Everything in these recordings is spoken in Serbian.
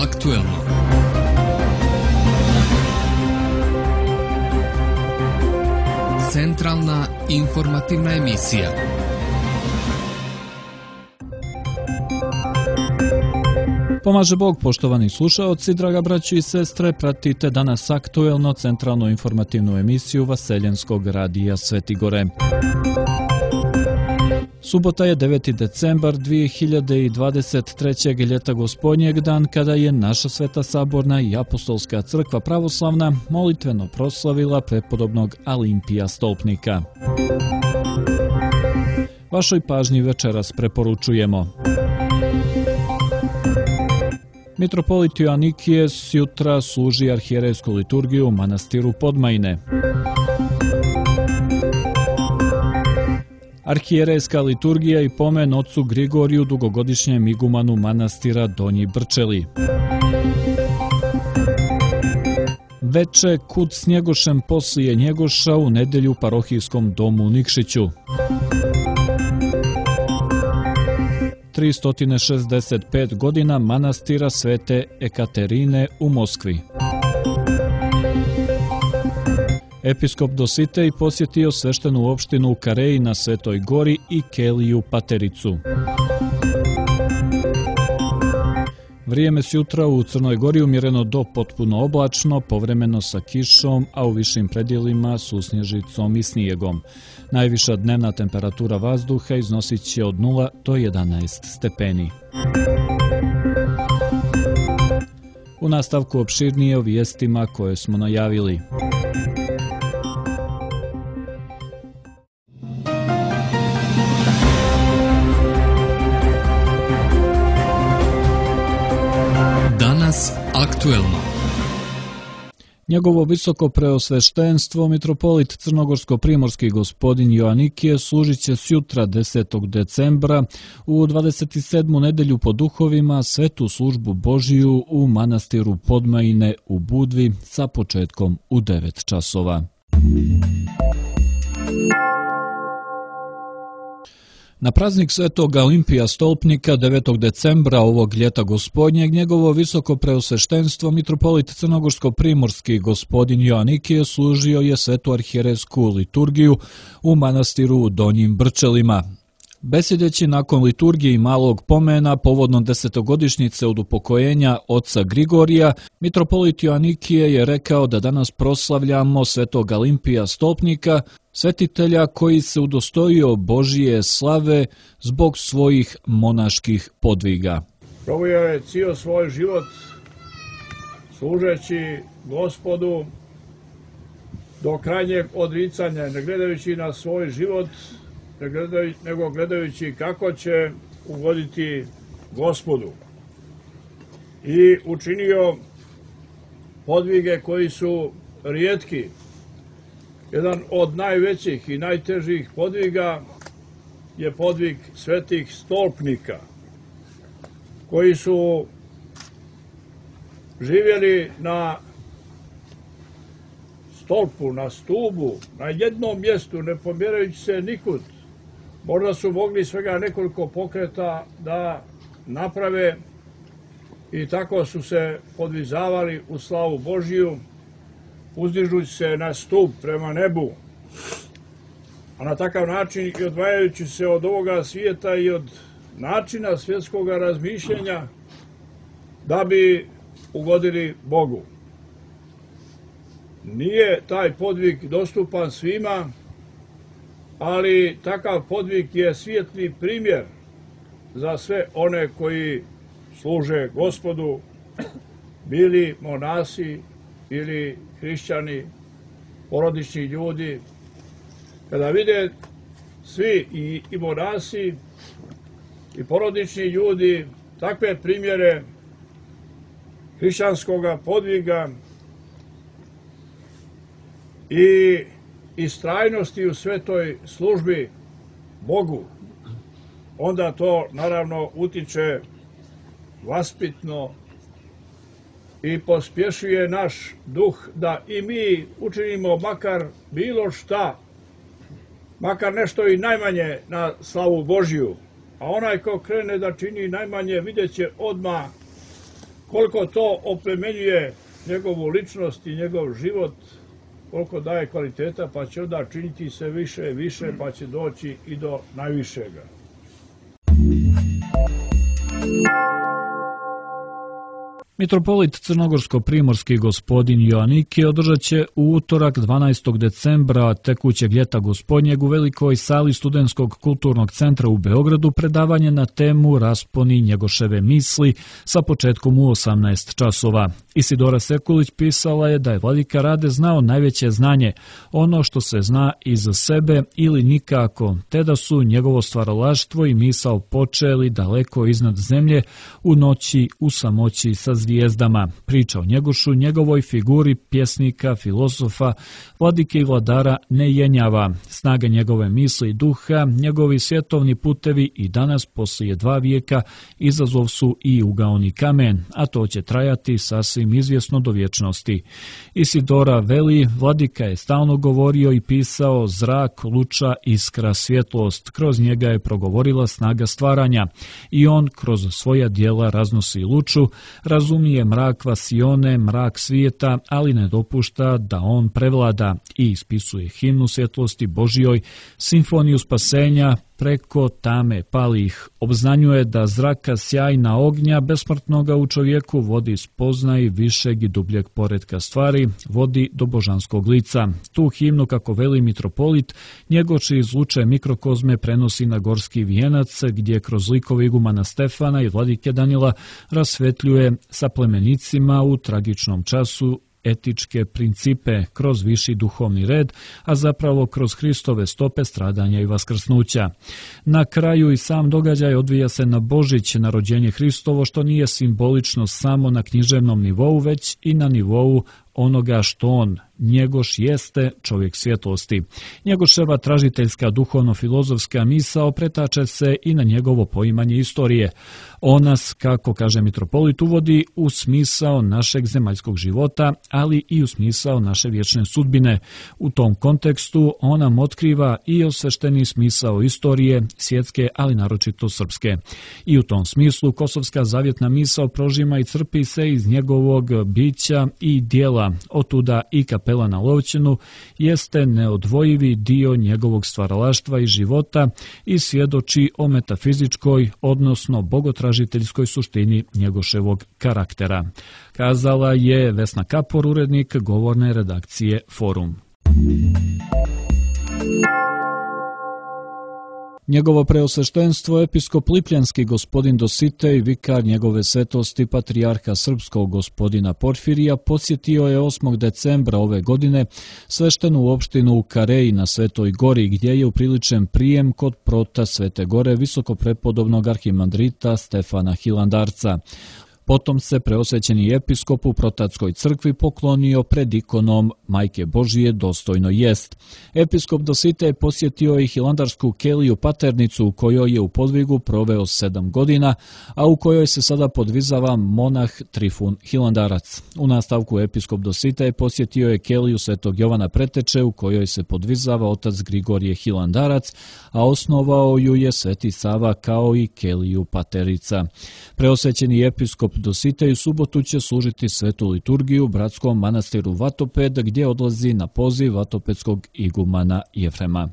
aktuelno. Centralna informativna emisija. Pomaže Bog, poštovani slušaoci, draga braćo i sestre, pratite danas aktuelno centralnu informativnu emisiju Vaseljenskog radija Svetigore. Subota je 9. decembar 2023. ljeta gospodnjeg dan, kada je naša Sveta Saborna i Apostolska crkva pravoslavna molitveno proslavila prepodobnog Alimpija Stolpnika. Vašoj pažnji večeras preporučujemo: Mitropolit Joanikije jutra služi arhijerejsku liturgiju u manastiru Podmajine. Arhijerejska liturgija i pomen ocu Grigoriju, dugogodišnjem igumanu manastira Donji Brčeli. Veče kud s Njegošem poslije Njegoša u nedelju u parohijskom domu u Nikšiću. 365 godina manastira Svete Ekaterine u Moskvi. Episkop Dositej posjetio sveštenu opštinu u Kareji na Svetoj gori i Keliju Patericu. Vrijeme sjutra u Crnoj Gori umjereno do potpuno oblačno, povremeno sa kišom, a u višim predjelima susnježicom i snijegom. Najviša dnevna temperatura vazduha iznosit će od 0 do 11 stepeni. U nastavku opširnije o vijestima koje smo najavili. Danas aktuelno. Njegovo visoko preosveštenstvo, mitropolit crnogorsko-primorski gospodin Joanikije, služit će sjutra 10. decembra u 27. nedelju po duhovima svetu službu Božiju u manastiru Podmajine u Budvi sa početkom u 9 časova. Na praznik Svetog Alimpija Stolpnika 9. decembra ovog ljeta gospodnjeg, njegovo visoko preosveštenstvo mitropolit crnogorsko-primorski gospodin Joanikije služio je svetu arhijerejsku liturgiju u manastiru u Donjim Brčelima. Besjedeći nakon liturgije i malog pomena povodno 10-godišnjice od upokojenja oca Grigorija, mitropolit Joanikije je rekao da danas proslavljamo Svetog Alimpija Stolpnika, svetitelja koji se udostojio Božije slave zbog svojih monaških podviga. Proveo je cijel svoj život služeći Gospodu do krajnjeg odricanja, ne gledajući na svoj život, nego gledajući kako će ugoditi Gospodu. I učinio podvige koji su rijetki. Jedan od najvećih i najtežih podviga je podvig svetih stolpnika, koji su živjeli na stolpu, na stubu, na jednom mjestu, ne pomjerajući se nikud. Možda su mogli svega nekoliko pokreta da naprave i tako su se podvizavali u slavu Božiju, uzdižući se na stup prema nebu. A na takav način i odvajajući se od ovoga svijeta i od načina svjetskog razmišljenja da bi ugodili Bogu. Nije taj podvig dostupan svima, ali takav podvig je svijetli primjer za sve one koji služe Gospodu, bili monasi ili hrišćani, porodični ljudi. Kada vide svi i monasi i porodični ljudi takve primjere hrišćanskog podviga i istrajnosti u svetoj službi Bogu, onda to naravno utiče vaspitno i pospješuje naš duh da i mi učinimo makar bilo šta, makar nešto i najmanje na slavu Božiju. A onaj ko krene da čini najmanje, vidjet će odmah koliko to oplemenjuje njegovu ličnost i njegov život, koliko daje kvaliteta, pa će onda činiti sve više i više, pa će doći i do najvišega. Mitropolit crnogorsko-primorski gospodin Joannikije održat će u utorak 12. decembra tekućeg ljeta gospodnjeg u velikoj sali Studentskog kulturnog centra u Beogradu predavanje na temu Rasponi Njegoševe misli sa početkom u 18 časova. Isidora Sekulić pisala je da je vladika Rade znao najveće znanje, ono što se zna iza sebe ili nikako, te da su njegovo stvaralaštvo i misao počeli daleko iznad zemlje u noći u samoći sa zvijezdama. Priča o Njegošu, njegovoj figuri pjesnika, filozofa, vladike i vladara ne jenjava. Snaga njegove misli i duha, njegovi svjetovni putevi i danas poslije 2 vijeka izazov su i ugaoni kamen, a to će trajati sasvim izvjesno do vječnosti. Isidora veli, vladika je stalno govorio i pisao zrak, luča, iskra, svjetlost. Kroz njega je progovorila snaga stvaranja i on kroz svoja djela raznosi luču, razumije mrak vasione, mrak svijeta, ali ne dopušta da on prevlada i ispisuje himnu svjetlosti Božjoj, simfoniju spasenja, preko tame palih. Obznanjuje da zraka sjajna ognja besmrtnoga u čovjeku vodi spoznaj višeg i dubljeg poretka stvari, vodi do božanskog lica. Tu himnu, kako veli mitropolit, Njegoši iz luče mikrokozme prenosi na gorski vijenac, gdje kroz likove igumana Stefana i vladike Danila rasvetljuje sa plemenicima u tragičnom času etičke principe kroz viši duhovni red, a zapravo kroz Hristove stope stradanja i vaskrsnuća. Na kraju i sam događaj odvija se na Božić, na rođenje Hristovo, što nije simbolično samo na književnom nivou, već i na nivou onoga što on, Njegoš, jeste, čovjek svjetlosti. Njegoševa tražiteljska duhovno-filozofska misao pretače se i na njegovo poimanje istorije. On nas, kako kaže mitropolit, uvodi u smisao našeg zemaljskog života, ali i u smisao naše vječne sudbine. U tom kontekstu on nam otkriva i osvešteni smisao istorije, svjetske, ali naročito srpske. I u tom smislu kosovska zavjetna misao prožima i crpi se iz njegovog bića i dijela. Otuda i kapela na Lovćenu jeste neodvojivi dio njegovog stvaralaštva i života i svjedoči o metafizičkoj, odnosno bogotražiteljskoj suštini Njegoševog karaktera. Kazala je Vesna Kapor, urednik govorne redakcije Forum. Njegovo preosveštenstvo episkop Lipljanski gospodin Dositej, vikar njegove svetosti patrijarha srpskog gospodina Porfirija, posjetio je 8. decembra ove godine sveštenu opštinu u Kareji na Svetoj gori, gdje je upriličen prijem kod prota Svete gore visokoprepodobnog arhimandrita Stefana Hilandarca. Potom se preosvećeni episkop u Protatskoj crkvi poklonio pred ikonom Majke Božije dostojno jest. Episkop Dositej posjetio i Hilandarsku keliju Paternicu u kojoj je u podvigu proveo 7 godina, a u kojoj se sada podvizava monah Trifun Hilandarac. U nastavku episkop Dositej posjetio je keliju Svetog Jovana Preteče u kojoj se podvizava otac Grigorije Hilandarac, a osnovao ju je Sveti Sava kao i keliju Paterica. Preosvećeni episkop Dositej u subotu će služiti svetu liturgiju u bratskom manastiru Vatoped, gdje odlazi na poziv vatopedskog igumana Jefrema.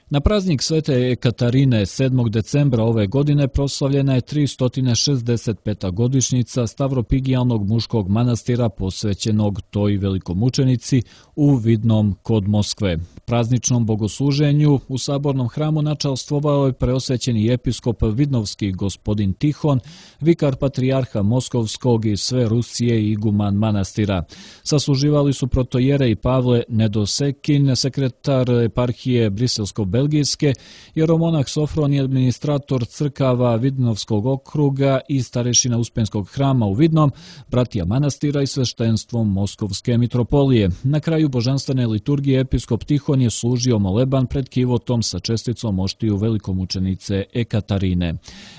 Na praznik Svete Ekaterine 7. decembra ove godine proslavljena je 365. godišnjica Stavropigijalnog muškog manastira posvećenog toj velikomučenici u Vidnom kod Moskve. Prazničnom bogosluženju u sabornom hramu načalstvovao je preosvećeni episkop Vidnovski gospodin Tihon, vikar patrijarha Moskovskog i sve Rusije i iguman manastira. Sasluživali su protojere i Pavle Nedosekin, sekretar eparhije Briselsko-Belgijske, jeromonah Sofron i administrator crkava Vidnovskog okruga i starešina Uspenskog hrama u Vidnom, bratija manastira i sveštenstvom Moskovske mitropolije. Na kraju božanstvene liturgije episkop Tihon je služio moleban pred kivotom sa česticom oštiju velikomučenice Ekaterine.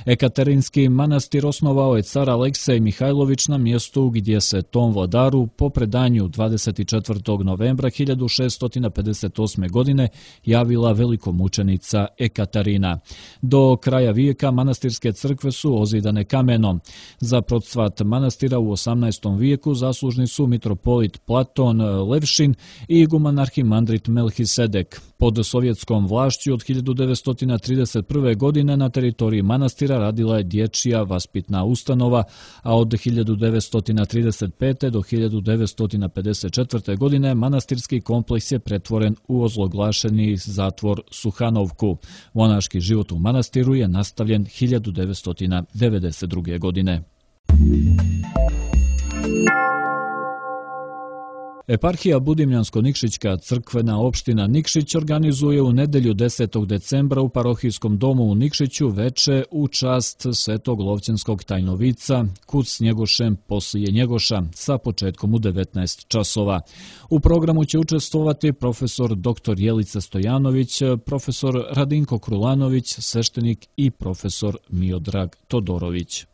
Ekaterinski manastir osnovao je car Aleksej Mihajlović na mjestu gdje se tom vladaru po predanju 24. novembra 1658. godine javila velikomučenica velikomučenica Ekaterina. Do kraja vijeka manastirske crkve su ozidane kamenom. Za procvat manastira u 18. vijeku zaslužni su mitropolit Platon Levšin i iguman arhimandrit Melhisedek. Pod sovjetskom vlašću od 1931. godine na teritoriji manastira radila je dječja vaspitna ustanova, a od 1935. do 1954. godine manastirski kompleks je pretvoren u ozloglašeni zatvor Suhanovku. Monaški život u manastiru je nastavljen 1992. godine. Eparhija Budimljansko-Nikšićka crkvena opština Nikšić organizuje u nedjelju 10. decembra u parohijskom domu u Nikšiću veče u čast Svetog Lovćenskog tajnovica Kud s Njegošem poslije Njegoša sa početkom u 19 časova. U programu će učestvovati profesor dr. Jelica Stojanović, profesor Radinko Krulanović, sveštenik i profesor Miodrag Todorović.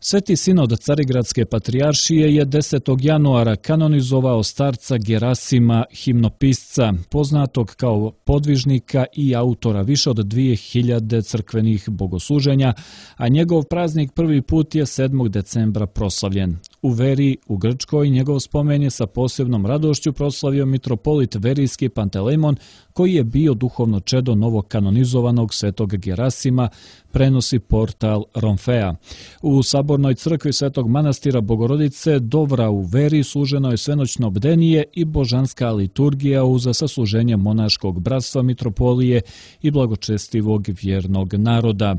Sveti sinod Carigradske patrijaršije je 10. januara kanonizovao starca Gerasima himnopisca, poznatog kao podvižnika i autora više od 2000 crkvenih bogosluženja, a njegov praznik prvi put je 7. decembra proslavljen. U Veri, u Grčkoj, njegov spomen je sa posebnom radošću proslavio mitropolit verijski Pantelemon, koji je bio duhovno čedo novog kanonizovanog svetog Gerasima, prenosi portal Romfea. U Sabornoj crkvi Svetog manastira Bogorodice Dovra u Veri služeno je svenoćno bdenije i božanska liturgija uz sasluženje monaškog bratstva mitropolije i blagočestivog vjernog naroda.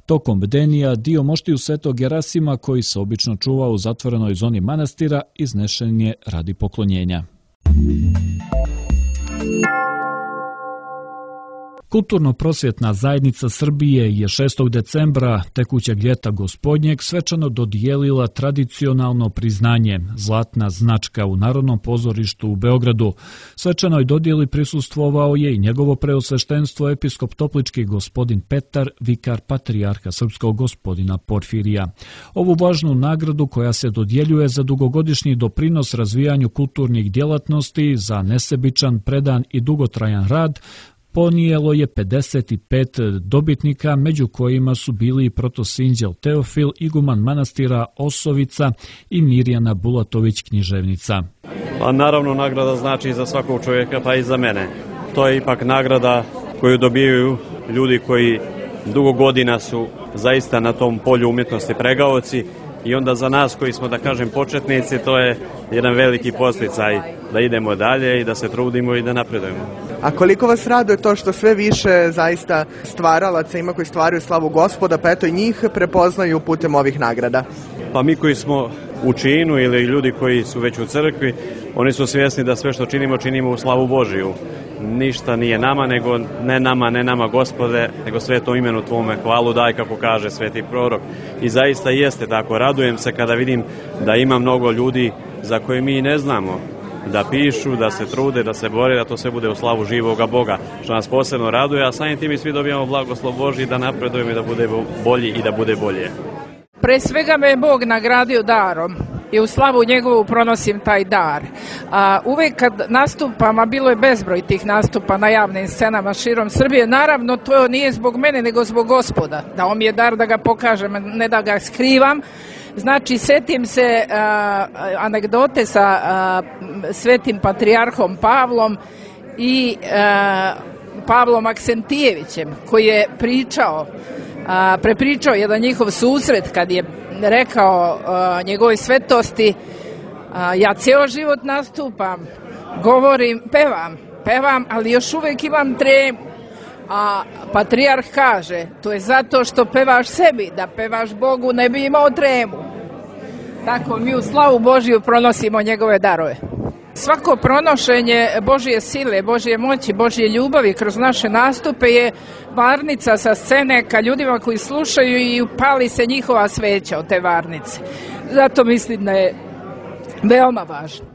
Tokom bdenija dio moštiju Svetog Gerasima, koji se obično čuva u zatvorenoj zoni manastira, iznešen je radi poklonjenja. Kulturno-prosvjetna zajednica Srbije je 6. decembra tekućeg ljeta gospodnjeg svečano dodijelila tradicionalno priznanje Zlatna značka u Narodnom pozorištu u Beogradu. Svečanoj dodijeli prisustvovao je i njegovo preosveštenstvo episkop toplički gospodin Petar, vikar patrijarha srpskog gospodina Porfirija. Ovu važnu nagradu, koja se dodjeljuje za dugogodišnji doprinos razvijanju kulturnih djelatnosti, za nesebičan, predan i dugotrajan rad, ponijelo je 55 dobitnika, među kojima su bili protosinđel Teofil, iguman manastira Osovica i Mirjana Bulatović, književnica. A naravno, nagrada znači za svakog čovjeka, pa i za mene. To je ipak nagrada koju dobijaju ljudi koji dugo godina su zaista na tom polju umjetnosti pregaoci, i onda za nas koji smo, da kažem, početnici, to je jedan veliki podsticaj da idemo dalje i da se trudimo i da napredujemo. A koliko vas raduje to što sve više zaista stvaralaca ima koji stvaraju slavu Gospoda, pa eto i njih prepoznaju putem ovih nagrada? Pa mi koji smo u činu ili ljudi koji su već u crkvi, oni su svjesni da sve što činimo, činimo u slavu Božiju. Ništa nije nama, nego ne nama Gospode, nego svetom imenu Tvome hvalu daj, kako kaže sveti prorok. I zaista jeste tako. Radujem se kada vidim da ima mnogo ljudi za koje mi ne znamo, da pišu, da se trude, da se bore, da to sve bude u slavu živoga Boga, što nas posebno raduje, a samim tim i svi dobijamo blagoslov Božji da napredujemo i da bude bolji i da bude bolje. Pre svega me je Bog nagradio darom i u slavu njegovu pronosim taj dar. Uvijek kad nastupam, a bilo je bezbroj tih nastupa na javnim scenama širom Srbije, naravno to nije zbog mene nego zbog Gospoda. Dao mi je dar da ga pokažem, ne da ga skrivam. Znači, setim se anegdote sa svetim patrijarhom Pavlom i Pavlom Aksentijevićem, koji je prepričao jedan njihov susret kad je rekao njegovoj svetosti: ja cijelo život nastupam, govorim, pevam, ali još uvijek imam tremu. A patrijarh kaže: to je zato što pevaš sebi, da pevaš Bogu ne bi imao tremu. Tako mi u slavu Božiju pronosimo njegove darove. Svako pronošenje Božje sile, Božje moći, Božje ljubavi kroz naše nastupe je varnica sa scene ka ljudima koji slušaju i upali se njihova sveća od te varnice. Zato mislim da je veoma važno.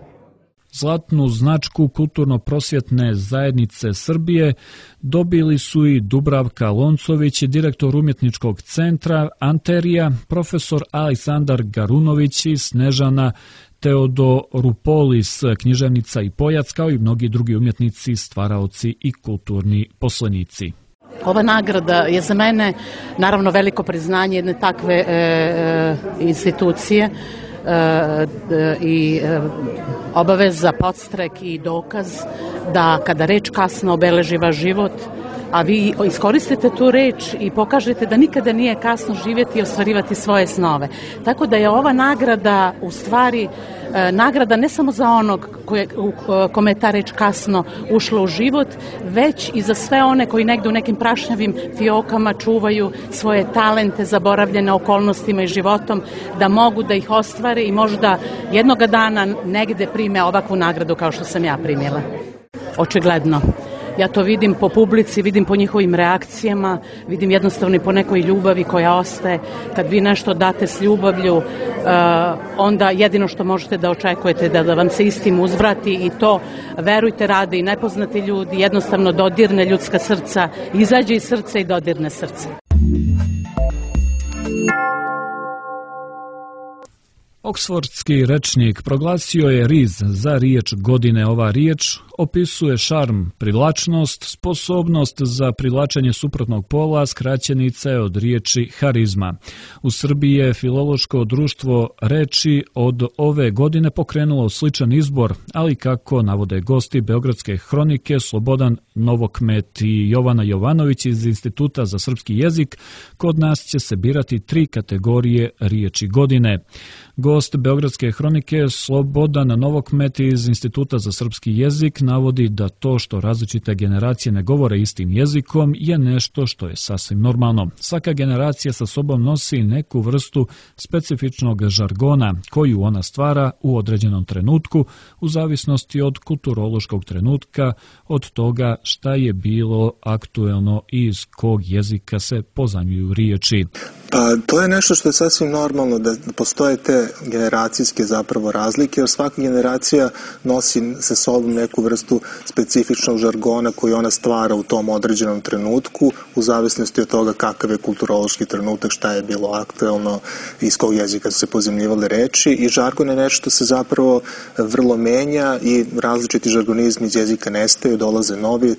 Zlatnu značku Kulturno-prosvjetne zajednice Srbije dobili su i Dubravka Loncović, direktor umjetničkog centra Anterija, profesor Aleksandar Garunović i Snežana Teodorupolis, književnica i pojac, kao i mnogi drugi umjetnici, stvaraoci i kulturni poslenici. Ova nagrada je za mene naravno veliko priznanje jedne takve institucije i obaveza, podstrek i dokaz da kada reč kasno obeleži vaš život, a vi iskoristite tu reč i pokažete da nikada nije kasno živjeti i ostvarivati svoje snove. Tako da je ova nagrada u stvari nagrada ne samo za onog kome je ta reč kasno ušla u život, već i za sve one koji negde u nekim prašnjavim fiokama čuvaju svoje talente zaboravljene okolnostima i životom, da mogu da ih ostvare i možda jednoga dana negde prime ovakvu nagradu kao što sam ja primila. Očigledno. Ja to vidim po publici, vidim po njihovim reakcijama, vidim jednostavno i po nekoj ljubavi koja ostaje. Kad vi nešto date s ljubavlju, onda jedino što možete da očekujete da vam se istim uzvrati i to, verujte, rade i nepoznati ljudi, jednostavno dodirne ljudska srca, izađe iz srca i dodirne srce. Oksfordski rečnik proglasio je riz za riječ godine. Ova riječ opisuje šarm, privlačnost, sposobnost za privlačenje suprotnog pola, skraćenica je od riječi harizma. U Srbiji je Filološko društvo reči od ove godine pokrenulo sličan izbor, ali kako navode gosti Beogradske hronike Slobodan Novokmet i Jovana Jovanović iz Instituta za srpski jezik, kod nas će se birati 3 kategorije riječi godine. Gost Beogradske hronike Slobodan Novokmet iz Instituta za srpski jezik navodi da to što različite generacije ne govore istim jezikom je nešto što je sasvim normalno. Svaka generacija sa sobom nosi neku vrstu specifičnog žargona koju ona stvara u određenom trenutku u zavisnosti od kulturološkog trenutka, od toga šta je bilo aktuelno i iz kog jezika se pozajmljuju riječi. Pa to je nešto što je sasvim normalno, da postoje te generacijske zapravo razlike, jer svaka generacija nosi sa sobom neku vrstu specifičnog žargona koji ona stvara u tom određenom trenutku, u zavisnosti od toga kakav je kulturološki trenutak, šta je bilo aktuelno, iz kog jezika su se pozajmljivale reči, i žargon je nešto što se zapravo vrlo menja i različiti žargonizmi iz jezika nestaju, dolaze novi,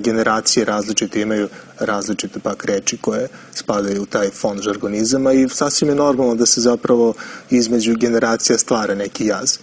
generacije različite imaju različite pak reči koje spadaju u taj fond žargonizama i sasvim je normalno da se zapravo između generacija stvara neki jaz.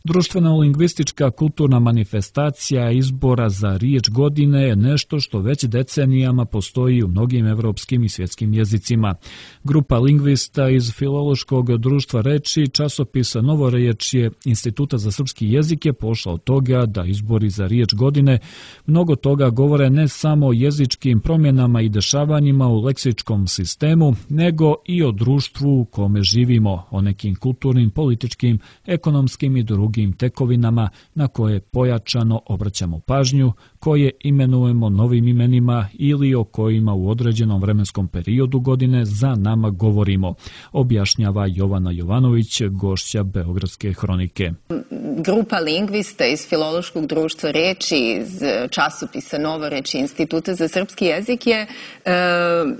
Društveno-lingvistička kulturna manifestacija izbora za riječ godine je nešto što već decenijama postoji u mnogim evropskim i svjetskim jezicima. Grupa lingvista iz Filološkog društva reči časopisa Novorečje Instituta za srpski jezik je pošla od toga da izbori za riječ godine mnogo toga govore ne samo o jezičkim promjenama i dešavanjima u leksičkom sistemu, nego i o društvu u kome živimo, o nekim kulturnim, političkim, ekonomskim i drugim tekovinama na koje pojačano obraćamo pažnju, koje imenujemo novim imenima ili o kojima u određenom vremenskom periodu godine za nama govorimo, objašnjava Jovana Jovanović, gošća Beogradske hronike. Grupa lingvista iz Filološkog društva reči, iz časopisa Novorečje Instituta za srpski jezik je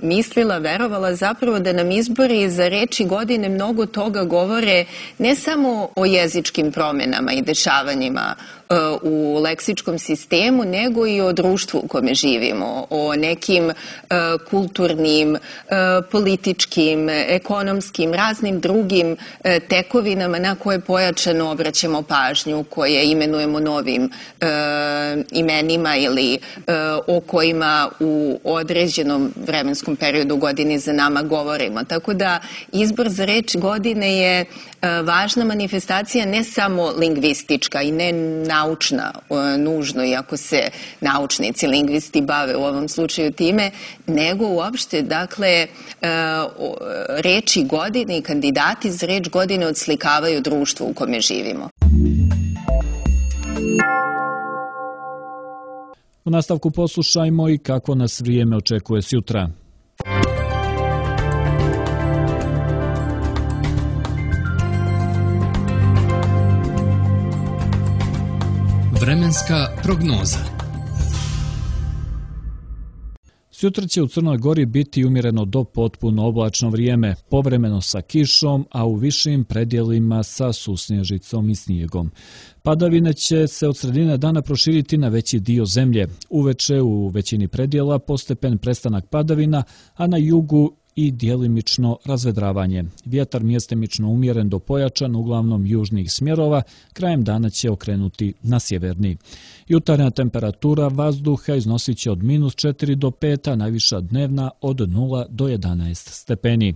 mislila, verovala zapravo da nam izbori za reči godine mnogo toga govore ne samo o jezičkim promjenama i dešavanjima u leksičkom sistemu, nego i o društvu u kome živimo, o nekim kulturnim, političkim, ekonomskim, raznim drugim tekovinama na koje pojačano obraćamo pažnju, koje imenujemo novim imenima ili o kojima u određenom vremenskom periodu godine za nama govorimo. Tako da izbor za reč godine je važna manifestacija, ne samo lingvistička i ne naučna, nužno, iako se naučnici, lingvisti bave u ovom slučaju time, nego uopšte, dakle, reči godine i kandidati za reč godine odslikavaju društvo u kome živimo. U nastavku poslušajmo i kako nas vrijeme očekuje sutra. Vremenska prognoza. Sutra će u Crnoj Gori biti umjereno do potpuno oblačno vrijeme, povremeno sa kišom, a u višim predjelima sa susnježicom i snijegom. Padavine će se od sredine dana proširiti na veći dio zemlje. Uveče u većini predjela postepen prestanak padavina, a na jugu i djelimično razvedravanje. Vjetar mjestimično umjeren do pojačan, uglavnom južnih smjerova, krajem dana će okrenuti na sjeverni. Jutarnja temperatura vazduha iznosit će od -4 do 5, a najviša dnevna od 0 do 11 stepeni.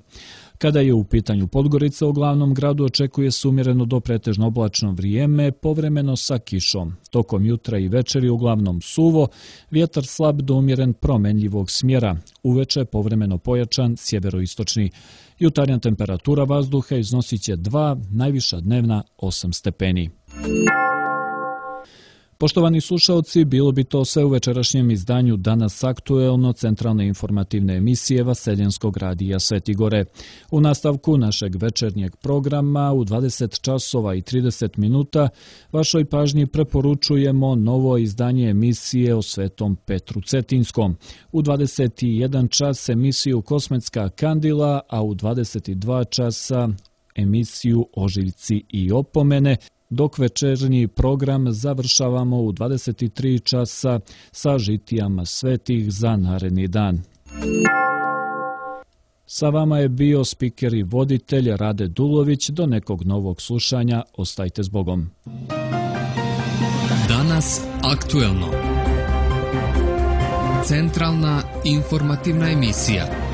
Kada je u pitanju Podgorica, u glavnom gradu očekuje se umjereno do pretežno oblačno vrijeme, povremeno sa kišom. Tokom jutra i večeri uglavnom suvo, vjetar slab do umjeren promenljivog smjera, uveče povremeno pojačan sjeveroistočni. Jutarnja temperatura vazduha iznosit će 2, najviša dnevna 8 stepeni. Poštovani slušalci, bilo bi to sve u večerašnjem izdanju Danas aktuelno centralne informativne emisije Vaseljenskog radija Sveti Gore. U nastavku našeg večernjeg programa u 20 časova i 30 minuta vašoj pažnji preporučujemo novo izdanje emisije o Svetom Petru Cetinskom. U 21 čas emisiju Kosmetska kandila, a u 22 časa emisiju Ožiljci i opomene, dok večernji program završavamo u 23 časa sa žitijama svetih za naredni dan. Sa vama je bio spiker i voditelj Rade Dulović. Do nekog novog slušanja, ostajte s Bogom. Danas aktuelno. Centralna informativna emisija.